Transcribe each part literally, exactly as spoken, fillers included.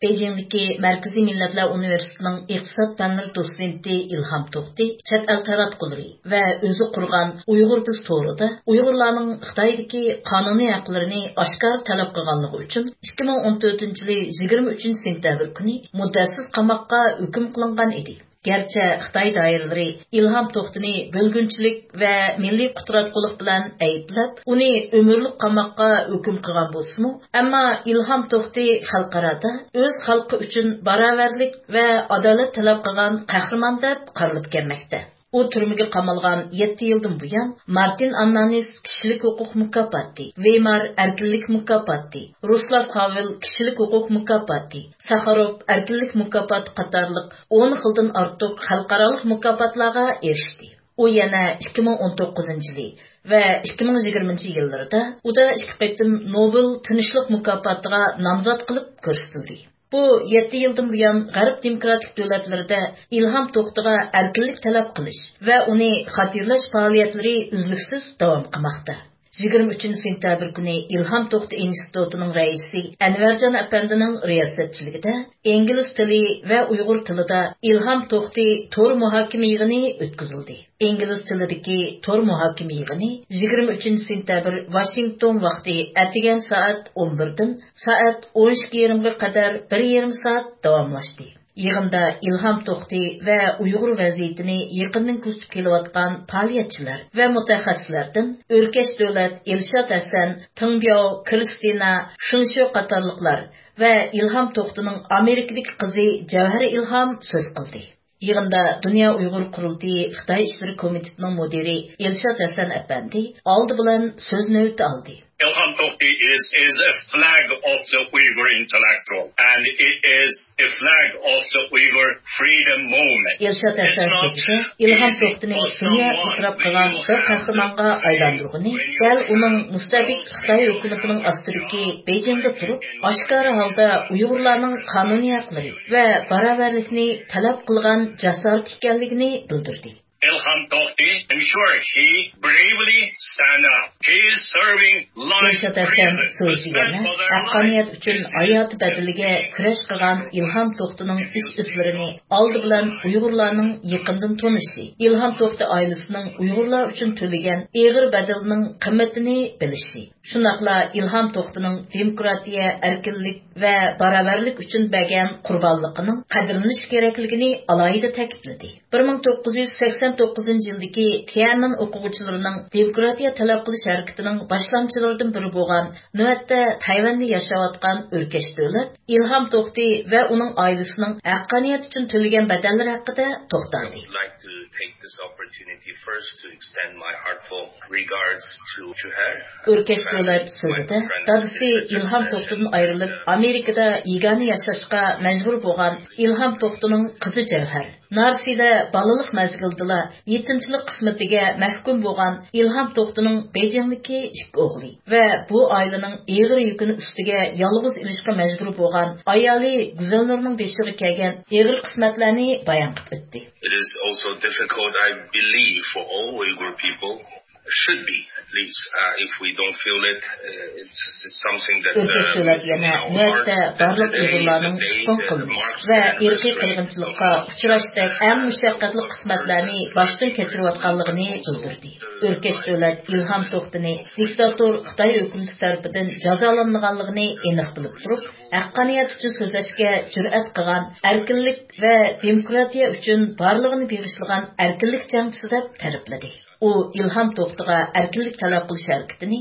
بېيجىڭدىكى مەركىزىي مىللەتلەر ئۇنىۋېرسىتېتىنىڭ ئىقتىساد پەنلىرى دوتسېنتى ئىلھام توختى چەت ئەل تاراتقۇلىرى ۋە ئۆزى قۇرغان ئۇيغۇر بىز تورىدا ئۇيغۇرلارنىڭ خىتايدىكى قانۇنىي ھەقلىرىنى ئاشكارا تەلەپ قىلغانلىقى ئۈچۈن ئىككى مىڭ ئون تۆتىنچى يىلى يىگىرمە ئۈچىنچى سېنتەبىر كۈنى مۇددەتسىز قاماققا ھۆكۈم قىلىنغان ئىدى. گەرچە خىتاي دائىرىلىرى ئىلھام توختىنى بۆلگۈنچىلىك ۋە مىللىي قۇتراتقۇلۇق بىلەن ئەيىبلەپ، ئۇنى ئۆمۈرلۈك قاماققا ھۆكۈم قىلغان بولسىمۇ، ئەمما ئىلھام توختى خەلقئارادا ئۆز خەلقى ئۈچۈن باراۋەرلىك ۋە ئادالەت تەلەپ قىلغان قەھرىمان دەپ قارىلىپ كەلمەكتە. ئۇ تۈرمىگە قامالغان يەتتە يىلدىن بۇيان، مارتىن ئاننانىس كىشىلىك ھوقۇق مۇكاپاتى، ۋېيمار ئەركىنلىك مۇكاپاتى، رۇسلاف ھاۋېل كىشىلىك ھوقۇق مۇكاپاتى، ساخاروف ئەركىنلىك مۇكاپاتى قاتارلىق ئون خىلدىن ئارتۇق خەلقئارالىق مۇكاپاتلارغا ئېرىشتى. ئۇ يەنە ئىككى مىڭ ئون توققۇزىنچى يىلى ۋە ئىككى مىڭ يىگىرمىنچى يىللىرىدا ئۇدا ئىككى قېتىم نوبېل تىنچلىق مۇكاپاتىغا نامزات قىلىپ كۆرسىتىلدى. بۇ يەتتە يىلدىن بۇيان غەرب دېموكراتىك دۆلەتلىرىدە ئىلھام توختىغا ئەركىنلىك تەلەپ قىلىش ۋە ئۇنى خاتىرىلەش پائالىيەتلىرى ئۈزلۈكسىز داۋام قىلماقتا. يىگىرمە ئۈچىنچى سېنتەبىر كۈنى ئىلھام توختى ئىنستىتۇتىنىڭ رەئىسى ئەنۋەرجان ئەپەندىنىڭ رىياسەتچىلىكىدە ئىنگلىز تىلى ۋە ئۇيغۇر تىلىدا ئىلھام توختى تور مۇھاكىمە يىغىنى ئۆتكۈزۈلدى. ئىنگلىز تىلىدىكى تور مۇھاكىمە يىغىنى يىگىرمە ئۈچىنچى سېنتەبىر ۋاشىنگتون ۋاقتى ئەتىگەن سائەت ئون بىردىن سائەت ئون ئىككى يېرىمغا قەدەر بىر يېرىم سائەت داۋاملاشتى. يىغىندا ئىلھام توختى ۋە ئۇيغۇر ۋەزىيىتىنى يېقىندىن كۆزىتىپ كېلىۋاتقان پائالىيەتچىلەر ۋە مۇتەخەسسىسلەردىن ئۆركەش دۆلەت، ئىلشات ھەسەن، تېڭ بياۋ، كىرىستىنا، شېڭ شۆ قاتارلىقلار ۋە ئىلھام توختىنىڭ ئامېرىكىدىكى قىزى جەۋھەر ئىلھام سۆز قىلدى. يىغىندا دۇنيا ئۇيغۇر قۇرۇلتىيى خىتاي ئىشلىرى كومىتېتىنىڭ مۇدىرى ئىلشات ھەسەن ئەپەندى ئالدى بىلەن سۆز نۆۋىتى ئالدى. Ilham Tohti is, is a flag of the Uyghur intellectual, and it is a flag of the Uyghur freedom movement. ئىلشات ھەسەن سۆزىدە ئىلھام توختىنى دۇنيا ئېتىراپ قىلغان بىر قەھرىمانغا ئايلاندۇرغىنى دەل ئۇنىڭ مۇستەبىت خىتاي ھۆكۈمىتىنىڭ ئاستىدىكى بېيجىڭدا تۇرۇپ، ئاشكارا ھالدا ئۇيغۇرلارنىڭ قانۇنىي ھەقلىرى ۋە باراۋەرلىكنى تەلەپ قىلغان جاسارىتى ئىكەنلىكىنى بىلدۈردى. Ilham Tohti, I'm sure he bravely stand up. He is serving life دىلشات ھەسەن سۆزى يەنە ھەققانىيەت ئۈچۈن ھاياتى بەدىلىگە كۈرەش قىلغان ئىلھام توختىنىڭ ئىش-ئىزلىرىنى ئالدى بىلەن ئۇيغۇرلارنىڭ يېقىندىن تونۇشى، ئىلھام توختى ئائىلىسىنىڭ ئۇيغۇرلار ئۈچۈن تۆلىگەن ئېغىر بەدىلىنىڭ قىممىتىنى بىلىشى، شۇنداقلا ئىلھام توختىنىڭ دېموكراتىيە، ئەركىنلىك ۋە باراۋەرلىك ئۈچۈن بەرگەن قۇربانلىقىنىڭ قەدىرلىنىشى كېرەكلىكىنى ئالاھىدە تەكىتلىدى. بىر مىڭ توققۇز يۈز سەكسەن توققۇزىنچى يىلدىكى تيەنئەنمېن ئوقۇغۇچىلىرىنىڭ دېموكراتىيە تەلەپ قىلىش ھەرىكىتىنىڭ باشلامچىلىرىدىن بىرى بولغان، نۆۋەتتە تەيۋەندە ياشاۋاتقان ئۆركەش دۆلەت ئىلھام توختى ۋە ئۇنىڭ ئائىلىسىنىڭ ھەققانىيەت ئۈچۈن تۆلىگەن بەدەللىرى ھەققىدە توختالدى. Like to take this opportunity first to extend my heartfelt regards to her. ئۆركەش دۆلەت سۆزىدە دادىسى ئىلھام توختىدىن ئايرىلىپ، ئامېرىكىدا يېگانە ياشاشقا مەجبۇر بولغان ئىلھام توختىنىڭ قىزى جەۋھەر، نارسىدە بالىلىق مەزگىلىدىلا يېتىمچىلىك قىسمىتىگە مەھكۇم بولغان ئىلھام توختىنىڭ بېيجىڭدىكى ئىككى ئوغلى ۋە بۇ ئائىلىنىڭ ئېغىر يۈكىنى ئۈستىگە يالغۇز ئېلىشقا مەجبۇر بولغان ئايالى گۈزەلنۇرنىڭ بېشىغا كەلگەن ئېغىر قىسمەتلەرنى بايان قىلىپ ئۆتتى. It is also difficult, I believe, for all Uyghur people. Should be, at least, uh, if we don't feel it, uh, it's, it's something that, ئۆركەش دۆلەت يەنە نۆۋەتتە بارلىق ئۇيغۇرلارنىڭ تۇتقۇن قىلىنىش ۋە ئىرقىي قىرغىنچىلىققا ئۇچراشتەك ئەڭ مۇشەققەتلىك قىسمەتلەرنى باشتىن كەچۈرۈۋاتقانلىقىنى بىلدۈردى. ئۆركەش دۆلەت ئىلھام توختىنى دىكتاتور خىتاي ھۆكۈمىتى تەرىپىدىن جازالانمىغانلىقىنى ئېنىق بىلىپ تۇرۇپ، ھەققانىيەت ئۈچۈن سۆزلەشكە جۈرئەت قىلغان، ئەركىنلىك ۋە دېموكراتىيە ئۈچۈن بارلىقىنى بېغىشلىغان ئەركىنلىك جەڭچىسى دەپ تەرىپلىدى. ئۇ ئىلھام توختىغا ئەركىنلىك تەلەپ قىلىش ھەرىكىتىنى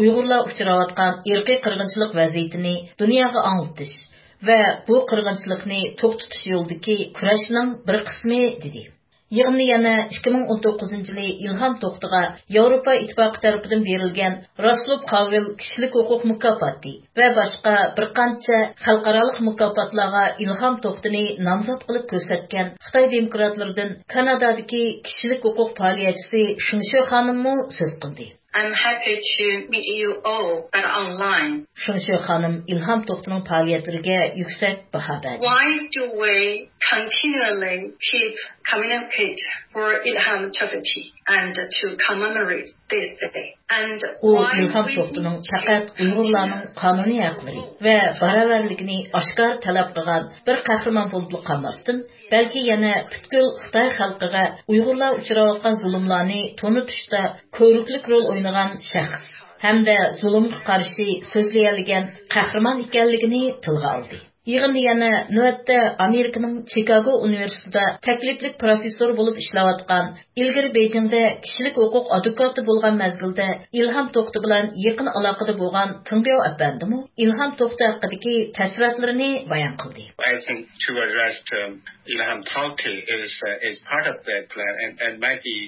ئۇيغۇرلار ئۇچراۋاتقان ئىرقىي قىرغىنچىلىق ۋەزىيىتىنى دۇنياغا ئاڭلىتىش ۋە بۇ قىرغىنچىلىقنى توختىتىش يولىدىكى كۈرەشنىڭ بىر قىسمى، دېدى. يىغىندا يەنە ئىككى مىڭ ئون توققۇزىنچى يىلى ئىلھام توختىغا ياۋروپا ئىتتىپاقى تەرىپىدىن بېرىلگەن راسلوپ خاۋېل كىشىلىك ھوقۇق مۇكاپاتى ۋە باشقا بىر قانچە خەلقئارالىق مۇكاپاتلارغا ئىلھام توختىنى نامزات قىلىپ كۆرسەتكەن خىتاي دېموكراتلىرىدىن كانادادىكى كىشىلىك ھوقۇق پائالىيەتچىسى شېڭ شۆ خانىممۇ سۆز قىلدى. I'm happy to meet you all, but online. شۇڭشى خانىم ئىلھام توختىنىڭ پائالىيەتلىرىگە يۈكسەك باھا بەردى. Why do we continually keep communicate for Ilham Tohti and to commemorate this day? And ئۇ ئىلھام توختىنىڭ پەقەت ئۇيغۇرلارنىڭ قانۇنىي ھەقلىرى ۋە باراۋەرلىكىنى ئاشكارا تەلەپ قىلغان بىر قەھرىمان بولۇپلا قالماستىن، بەلكى يەنە پۈتكۈل خىتاي خەلقىگە ئۇيغۇرلار ئۇچراۋاتقان زۇلۇملارنى تونۇتۇشتا كۆرۈكلۈك رول ئوينىغان شەخس ھەمدە زۇلۇمغا قارشى سۆزلىيەلىگەن قەھرىمان ئىكەنلىكىنى تىلغا ئالدى. يىغىندا يەنە نۆۋەتتە ئامېرىكىنىڭ چىكاگو ئۇنىۋېرسىتېتىدا تەكلىپلىك پروفېسسور بولۇپ ئىشلەۋاتقان، ئىلگىرى بېيجىڭدە كىشىلىك ھوقۇق ئادۋوكاتى بولغان مەزگىلدە ئىلھام توختى بىلەن يېقىن ئالاقىدە بولغان تېڭبياۋ ئەپەندىمۇ ئىلھام توختى ھەققىدىكى تەسىراتلىرىنى بايان قىلدى. I think to arrest, um, Ilham Tohti is, uh, is part of that plan and, and might be,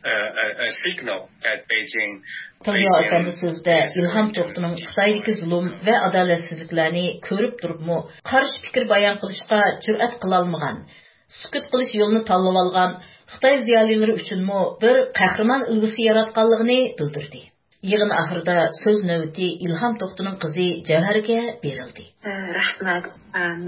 uh, a, a signal that Beijing تېڭبياۋ ئەپەندى سۆزىدە ئىلھام توختىنىڭ خىتايدىكى زۇلۇم ۋە ئادالەتسىزلىكلەرنى كۆرۈپ تۇرۇپمۇ قارشى پىكىر بايان قىلىشقا جۈرئەت قىلالمىغان، سۈكۈت قىلىش يولىنى تاللىۋالغان خىتاي زىيالىيلىرى ئۈچۈنمۇ بىر قەھرىمان ئۈلگىسى ياراتقانلىقىنى بىلدۈردى. يىغىن ئاخىرىدا سۆز نۆۋىتى ئىلھام توختىنىڭ قىزى جەۋھەرگە بېرىلدى. رەھمەت.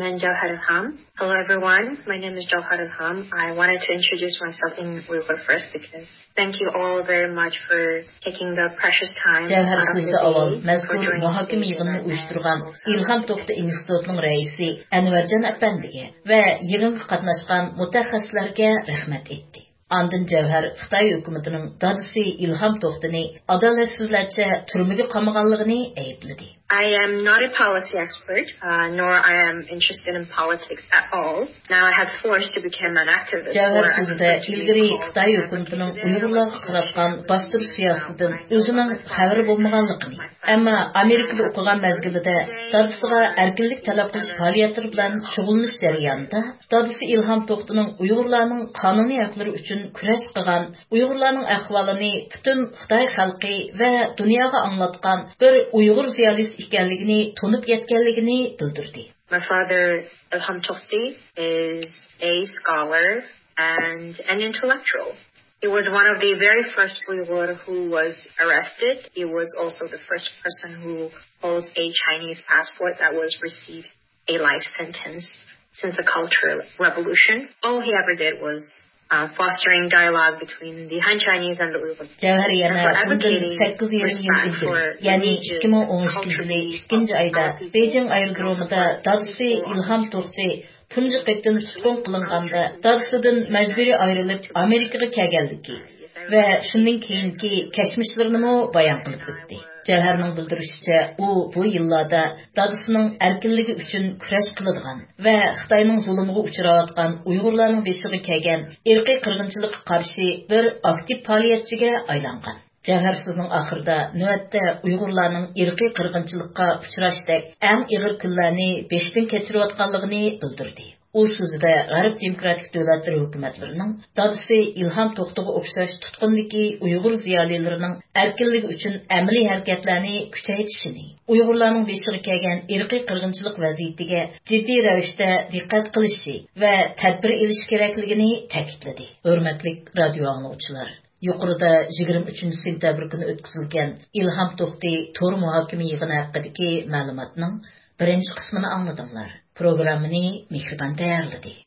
مەن جەۋھەر ئىلھام. Hello everyone, my name is Jawhar Ilham. I wanted to introduce myself in Uyghur first because thank you all very much for taking the precious time جەۋھەر سۆزىدە ئاۋۋال مەزكۇر مۇھاكىمە يىغىنىنى ئۇيۇشتۇرغان ئىلھام توختى ئىنستىتۇتىنىڭ رەئىسى ئەنۋەرجان ئەپەندىگە ۋە يىغىنغا قاتناشقان مۇتەخەسسىسلەرگە رەھمەت ئېيتتى. ئاندىن جەۋھەر خىتاي ھۆكۈمىتىنىڭ دادىسى ئىلھام توختىنى ئادالەتسىزلەرچە تۈرمىگە قامىغانلىقىنى ئەيىبلىدى. I am not a policy expert, uh, nor I am interested in politics at all. Now I have forced to become an activist. جەۋھەر سۆزىدە ئىلگىرى خىتاي ھۆكۈمىتىنىڭ ئۇيغۇرلارغا قاراتقان باستۇرۇش سىياسىتىدىن ئۆزىنىڭ خەۋىرى بولمىغانلىقىنى، ئەمما ئامېرىكىدا ئوقۇغان مەزگىلىدە دادىسىغا ئەركىنلىك تەلەپ قىلىش پائالىيەتلىرى بىلەن شۇغۇللىنىش جەريانىدا دادىسى ئىلھام توختىنىڭ ئۇيغۇرلارنىڭ قانۇنىي ھەقلىرى ئۈچۈن كۈرەش قىلغان، ئۇيغۇرلارنىڭ ئەھۋالىنى پۈتۈن خىتاي خەلقى ۋە دۇنياغا ئاڭلاتقان بىر ئۇيغۇر زىيالىيسى ئىكەنلىكىنى تونۇپ يەتكەنلىكىنى بىلدۈردى. My father, Ilham Tohti, is a scholar and an intellectual. He was one of the very first Uyghur who was arrested. He was also the first person who holds a Chinese passport that was received a life sentence since the Cultural Revolution. All he ever did was, uh, fostering dialogue between the Han Chinese and the Uyghur. جەۋھەر يەنە بۇندىن سەككىز يېرىم يىل ئىلگىرى، يەنى ئىككى مىڭ ئون ئىككىنچى يىلى ئىككىنچى ئايدا بېيجىڭ ئايرودرومىدا دادىسى ئىلھام توختى تۇنجى قېتىم تۇتقۇن قىلىنغاندا، دادىسىدىن مەجبۇرىي ئايرىلىپ ئامېرىكىغا كەلگەنلىكى ۋە شۇندىن كېيىنكى كەچمىشلىرىنىمۇ بايان قىلىپ ئۆتتى. جەۋھەرنىڭ بىلدۈرۈشىچە، ئۇ بۇ يىللاردا دادىسىنىڭ ئەركىنلىكى ئۈچۈن كۈرەش قىلىدىغان ۋە خىتاينىڭ زۇلۇمىغا ئۇچراۋاتقان ئۇيغۇرلارنىڭ بېشىغا كەلگەن ئىرقىي قىرغىنچىلىققا قارشى بىر ئاكتىپ پائالىيەتچىگە ئايلانغان. جەۋھەر سۆزىنىڭ ئاخىرىدا نۆۋەتتە ئۇيغۇرلارنىڭ ئىرقىي قىرغىنچىلىققا ئۇچراشتەك ئەڭ ئېغىر كۈنلەرنى بېشىدىن كەچۈرۈۋاتقانلىقىنى بىلدۈردى. ئۇ سۆزىدە غەرب دېموكراتىك دۆلەتلىرى ھۆكۈمەتلىرىنىڭ دادىسى ئىلھام توختىغا ئوخشاش تۇتقۇندىكى ئۇيغۇر زىيالىيلىرىنىڭ ئەركىنلىكى ئۈچۈن ئەمەلىي ھەرىكەتلەرنى كۈچەيتىشىنى، ئۇيغۇرلارنىڭ بېشىغا كەلگەن ئىرقىي قىرغىنچىلىق ۋەزىيىتىگە جىددىي رەۋىشتە دىققەت قىلىشى ۋە تەدبىر ئېلىشى كېرەكلىكىنى تەكىتلىدى. ھۆرمەتلىك رادىيو ئاڭلىغۇچىلار! يۇقىرىدا يىگىرمە ئۈچىنچى سېنتەبىر كۈنى ئۆتكۈزۈلگەن ئىلھام توختى تور مۇھاكىمە يىغىنى ھەققىدىكى مەلۇماتنىڭ بىرىنچى قىسمىنى ئاڭلىدىڭلار. پروگراممىنى مېھرىبان تەييارلىدى.